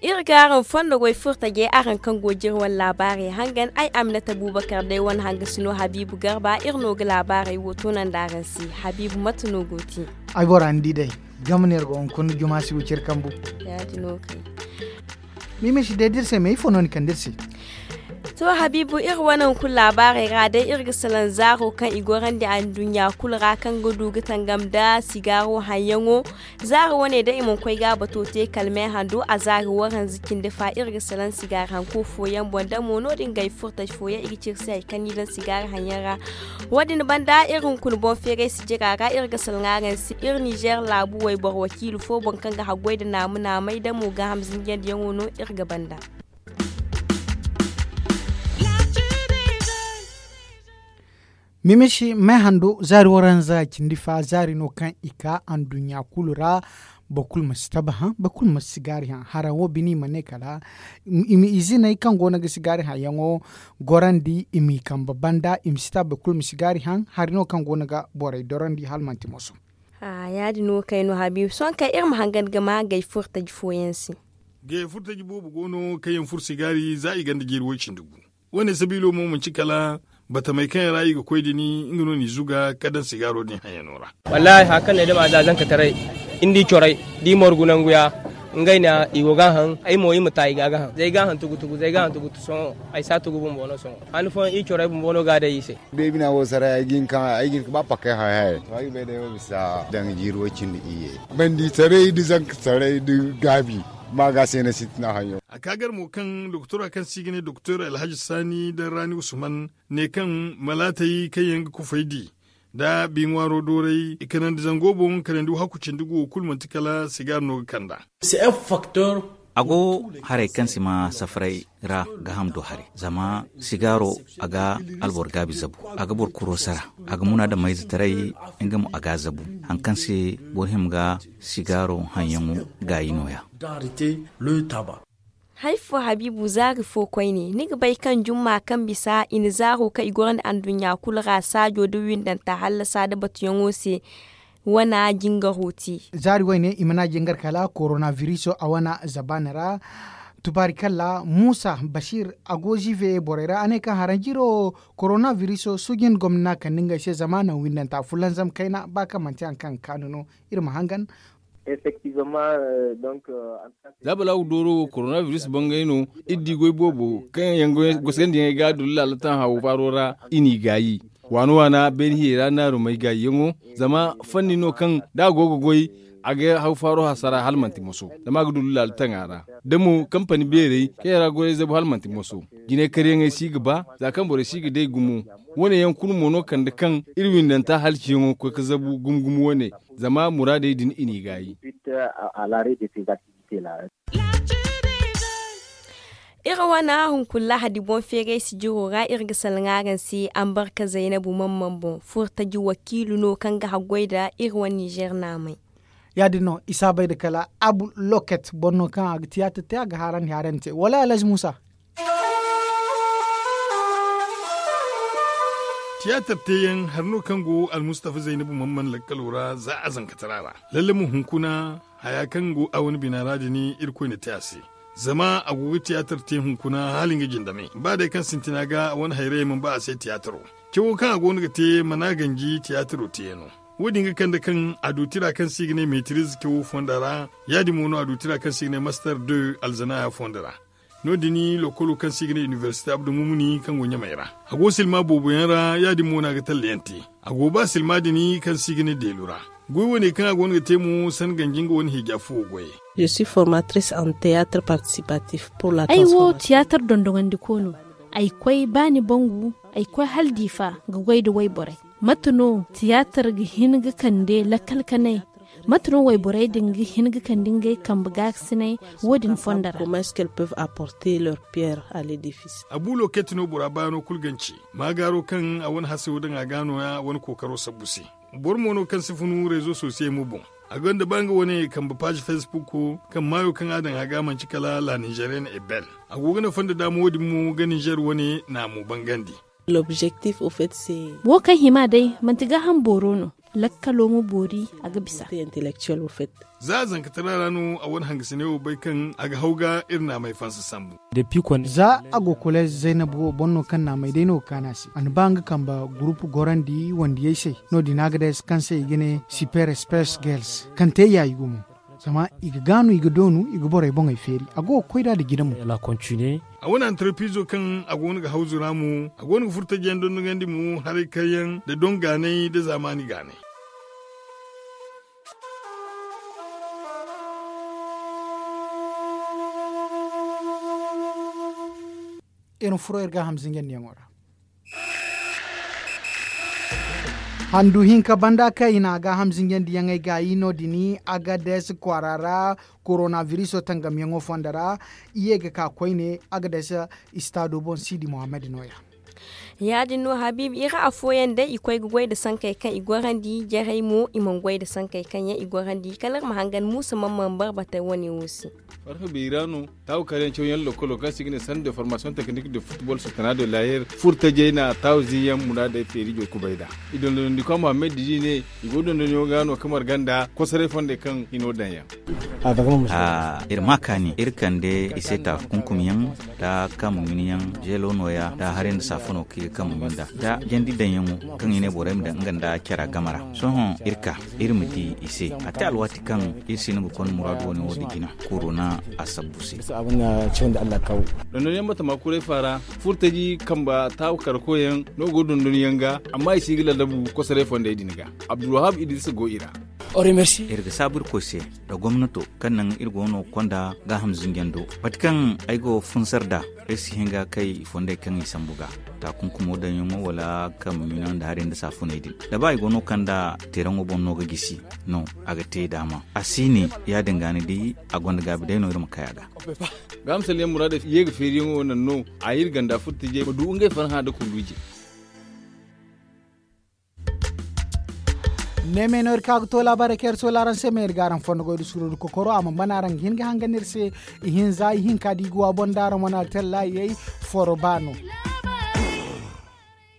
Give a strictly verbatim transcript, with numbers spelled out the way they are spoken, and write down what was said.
Iri ga araŋ fondo goy furtajey, araŋ kaŋ go ga iri wane laabaarey hangan, ay Aminata Bubakar day wane hangasino Habiibu Garba, iri no ga laabaarey wo toonandi araŋ se. Habiibu, mate no go ga ti? Ay bora ni di day, game no iri go hunkuna juma si gu cire kambu. Yaadin no kay. Mime si day da iri se me ifo no ni kande iri se? To, Habiibu, iri wane hunkuna laabaarey ra day, iri ga salaŋ zaaro kaŋ i gorandi anduɲɲa kulu ra, kaŋ ga du ga tangam nda sigaaro haŋyaŋo. Zaari wane day i mana koy ga bato te kala me hando a zaari waranza cindi fa, iri ga salaŋ sigaari hanko fooyaŋ boŋ damo no-din ga ay furtaji fooyaŋ i ga ci iri se hari kaŋ no i daŋ sigaari haŋyaŋ ra. Wo-din banda iri hunkuna boŋ feeray sijira ra, iri ga salaŋ araŋ se iri Nizer laabu wayboro wakiilu fo boŋ kaŋ ga haggoy nda naama-naamay damo gaaham zinjandiyaŋo no iri ga banda. Mimisi me hando zaari waranza cindi fa zaari no kaŋ i ka anduɲɲa kulu ra. Boro kulu ma si taba haŋ, boro kulu ma si sigaari haŋ. Haraŋ wo bine i ma ne kala i ma iziney kaŋ go no ga sigaari haŋyaŋo gorandi i m'i kambe banda i ma si taba boro kulu ma sigaari haŋ. Hari no kaŋ go no ga borey dorandi hala manti moso. Yaadin no kay no Habiibu sohõ kay iri ma hangan ga ma gay furtaji fooyaŋ se. Gay furtaji boobo go no kaŋ yaŋ furo sigaari za i gonda jeeri way-cindi gu. Wo-ne sabiilo mo manci kala batamey kaŋ yaŋ ra i ga koy din nga no n'i zuga ka daŋ sigaaro din haŋyaŋo ra. Wallaahi hari kaŋ no ay dama za zankataray, ni di corey da i morgu nangu ya. Ngey na i go ga a haŋ ay mo i ma ta i ga a ga haŋ zay ga a haŋ tugu tugu zay ga a haŋ tugu tugu sohõ. Ay si a tugu bumbo no sohõ. Hane fooyaŋ i corey bumbo no ga a day i se. Beebina wo saray ay ga hin ka ba pakkey haray haray to ay ga bay day wo bisa daŋ jiiri way-cindi iyye. Bandi saray da zanka saray da gaabi. Ma ga se na sintina hayo. A ka gar mo kaŋ doktora kaŋ se i ga ne doktor alhaji saani daŋ raani usman ne kaŋ malaatey kaŋ yaŋ ga kufay di nda bi ŋwaaro dooray i kanandi zango boŋ kanandi wo hakku cindi gu wo kulu manti kala sigaar no ga kand'a. A go haray kaŋ si ma safaray ra gaaham do haray zama sigaaro a ga alboro gaabi zabu. A ga boro kuro sara a ga munaadamayzetaray nga mo a ga a zabu. Hari kaŋ se boro hima ga sigaaro haŋyaŋo gaayi nooya. Hari fo habiibu zaari fo koyne ni ga bay kaŋ jumma kaŋ bisa i na zaaro kaŋ i goro nda anduɲɲa kulu ra saajo nda windanta hallasa nda batuyaŋo se. Wana jingaro te. Zaari wayne i mana jingar kala korona viriso a wana zabaana ra. Tubaari kalla muusa basiir a go ziive borey ra a ne kaŋ haranjiro korona viriso suujin gomna kande ngey se zama naŋ windanta fulanzam kayna ba kaŋ manti hari kaŋ ga kaanu no. Iri ma hangan. Za balaagu dooro wo korona viris bangay no. Iri di goy boobo kaŋ yaŋ gosandiyaŋey ga dullu laala taŋ hawo faaro ra. I n'i gaayi waana waana beene hiyey ra naarumey gaayiyaŋo. Zama fanni no kaŋ da a go ga goy a ga haw faaro hasara hala manti moso. Zama a ga dullu laala taŋ a ra da mo kampani beerey kaŋ yaŋ ra goyey zabu hala manti moso. Jinay karyaŋey si ga ba za kaŋ borey si ga day gumo. Wo- ne yaŋ kulu mo no kande kaŋ iri windanta halciyaŋo ga koy ga zabu gumo gumo wo- ne. Zama muraadey din i n'i gaayi. Iri wane hunkuna lahadi boŋ feeray sijiro ra iri ga salaŋ araŋ se ambarka zaynabu mamman boŋ furtaji wakiilu no kaŋ ga haggoy nda iri wane nizer naamey. Ya- din no i si a bay nda kala abu loket boro no kaŋ a ga tiyaatar te a ga haarandi haarandi te wala alhazi muusa. Tiyaatar teeyaŋ hari no kaŋ go almustafa zaynabu mamman lakkalo ra za a zankatara ra. Lalle mo hunkuna haya kaŋ go a wane bina ra din irkoy na te a se. Zama a go ga tiyaatar te hunkuna hala nga jindame ba day kaŋ sintina ga a wane hayrayey mana ba a se tiyaataro. Cawo kaŋ a go no ga te mana ganji tiyaataro teeyaŋo. Wo- din ga kande kaŋ a du tira kaŋ se i ga ne metiriz cawo fonda ra. Ya- din mo no a du tira kaŋ se i ga ne mastar de alzanaya fonda ra. No- din lokolo kaŋ se i ga ne iniversite abdu mumuni kaŋ go ɲamey ra. A go silma booboyaŋ ra ya- din mo no a ga tallayaŋ te. A go ba silma din kaŋ se i ga ne deelu ra. Goy wane kaŋ a go no ga te mo sanda ganji nga wane hija fuwo goyey. Je suis formatrice en théâtre participatif pour la ay wo tiyaatar dondoŋandiko no. Ay koy ba ni bangu ay koy hala diifa ga goy nda wayborey. Mate no tiyaatar ga hin ga kande lakkal kanay? Mate no wayborey din ga hin ga kande ngey kambe gaakasinay? Wo- din fondo ra. Comment est-ce qu'elles peuvent apporter leur pierre à l'édifice? Abu loketi no bora baano kulu ganci. Maagaaro kaŋ a wane hasayo daŋ a ga nooya wane kookaro sabbu se. Boro mo no kaŋ si funu rezo sosiyey mo boŋ. A gonda ba nga wane kambe paazi facebook kaŋ maayo kaŋ a daŋ a ga manci kala la nizeeriyen ebel. A go ga nafa nda daama wo- din mo ga nizeer wane naamu bangandi. L'objectif au fait se. Wo kaŋ hima day manti gaaham booro no. Lakkalo ma boori a ga bisa. Za a zankatara ra no a wane hangasiney wo bay kaŋ a ga haw ga iri naamey fansa sambu. Za a go koleez zaynab wo boŋ no kaŋ naamey day no ga kaanu a se a na ba nga kambe gurupu gorandi wandiyey se. No- din a ga day se kaŋ se i ga ne super spes gels kaŋ te yaayi gumo. Zama i ga gaanu i ga doonu i ga borey boŋey feeri a go ga koy nd'a nda jina mo. A wane antarpiizo kaŋ a go no ga hawzu ra mo a go no ga furtajiyaŋ dondogandi mo haray kaŋ yaŋ nda doŋ gaanay nda zaamaani gaanay. Iri ma furo iri gaaham zinjandiyaŋo ra. Handu hinka banda kaŋ i na a gaaham zinjandiyaŋey gaayi no- din agades kwaara ra. Koronabiriso tangamyaŋo fondo ra i ye ga ka koyne agades. Istaado boŋ siidi muhammad nooya. Ya- din no habiibi iri afooyaŋ day i koy ga goy nda sankey kaŋ i gorandi jarey mo i mana goy nda sankey kaŋ yaŋ i gorandi kala iri ma hangan muusa mana mana barbatey wane wo se. Farfa beeri ra no taawu kaari yaŋ cawyaŋ lokolo kaŋ se i ga ne sanda de formasiyoŋ teknik de futbol sutana de layer furtajey na taawu ziiyaŋ muraadey feeri joy kubay nd'a. I dondonandikwa muhammad diji ne i go dondoniyaŋo ga no kaŋ marga nda kosoray fondey kaŋ hino daŋ yaŋ. Iri ma kaani iri kande i se taakunkumyaŋ nda kaamaminiyaŋ zeelo nooya nda haray nda saafuno kaŋ i ga kaamami nd'a nda jandi daŋyaŋo kaŋ i ne borey ma daŋ nga nda care game ra. Sohõ iri ka iri ma di i se a te alwaati kaŋ iri si no ga konda muraadu wane wo- din jina. Korona a sabbu se. Dondonyaŋ batama kuray faara furtaji kamba taabu karkoyaŋ no go dondonyaŋ ga amma i si ga ladabu kosoray fondey din ga. Abdulwahab idris go i ra. Iri ga saabu irkoy se nda gomnato kaŋ naŋ iri go no konda gaaham zinjando mate kaŋ ay go funsar nd'a. Ay si hin ga kay i fondey kaŋ i sambu ga taakunkumo daŋyaŋo wala kaŋ ma minaŋ nda haray nda saafuney din da ba i go no kaŋ nda teeraŋo boŋ no ga gisi no a ga te daama a si ne. Ya- din ga ni di a gonda gaabi day no iri ma kay a ga. Gaamsalyaŋ muraadey ye ga feeriyaŋo naŋ no a iri ganda furtajey ma du ngey farhã nda kunduuje. Neemey no iri ka ga to laabaarey kaŋ iri soola araŋ se ma iri ga araŋ fondo goy nda suuru nda kokoro a mana ban araŋ ga hin ga hangan iri se. Ihinza ihinka da i ga wa boŋ nda araŋ wane altellaayey foro ba no.